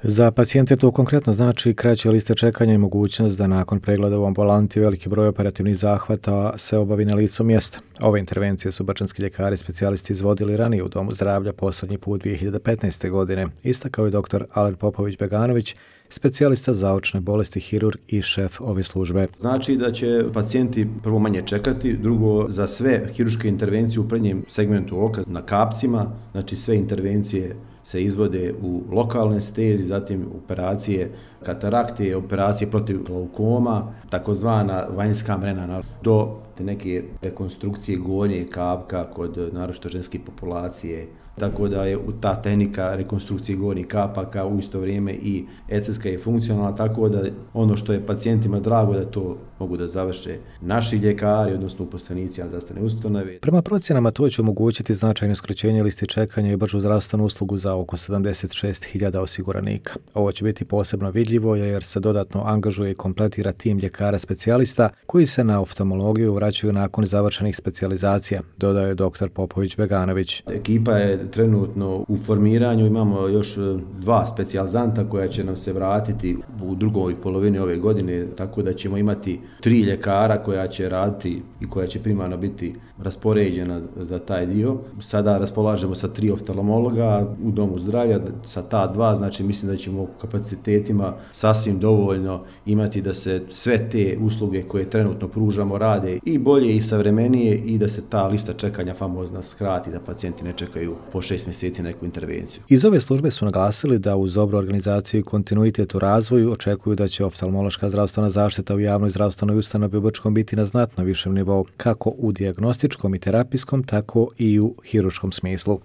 Za pacijente to konkretno znači kraće liste čekanja i mogućnost da nakon pregleda u ambulanti veliki broj operativnih zahvata se obavi na licu mjesta. Ove intervencije su bačanski ljekari specijalisti izvodili ranije u Domu zdravlja posljednji put 2015. godine, istakao je dr. Alen Popović-Beganović, specijalista za očne bolesti, hirurg i šef ove službe. Znači da će pacijenti prvo manje čekati, drugo za sve hirurške intervencije u prednjem segmentu oka na kapcima, znači sve intervencije se izvode u lokalnoj anesteziji, zatim operacije katarakte, operacije protiv glaukoma, takozvana vanjska mrena do neke rekonstrukcije gornjeg kapka kod naročito ženske populacije. Tako da je ta tehnika rekonstrukcije gornjih kapaka u isto vrijeme i estetska i funkcionalna, tako da ono što je pacijentima drago da to mogu da završe naši ljekari, odnosno uposlenici zdravstvene ustanove. Prema procjenama to će omogućiti značajno skraćenje listi čekanja i bržu zdravstvenu uslugu za oko 76.000 osiguranika. Ovo će biti posebno vidljivo jer se dodatno angažuje i kompletira tim ljekara specijalista koji se na oftalmologiju vraćaju nakon završenih specijalizacija, dodaje je dr. Popović-Beganović. Ekipa je trenutno u formiranju, imamo još 2 specijalizanta koja će nam se vratiti u drugoj polovini ove godine, tako da ćemo imati 3 ljekara koja će raditi i koja će primarno biti raspoređena za taj dio. Sada raspolažemo sa 3 oftalmologa u Domu zdravlja, sa ta 2, znači mislim da ćemo kapacitetima sasvim dovoljno imati da se sve te usluge koje trenutno pružamo rade i bolje i savremenije i da se ta lista čekanja famozna skrati, da pacijenti ne čekaju po 6 mjeseci neku intervenciju. Iz ove službe su naglasili da uz dobru organizaciju i kontinuitet u razvoju očekuju da će oftalmološka zdravstvena zaštita u javnoj zdravstvenoj ustanovi u Brčkom biti na znatno višem nivou, kako u dijagnostičkom i terapijskom, tako i u hirurškom smislu.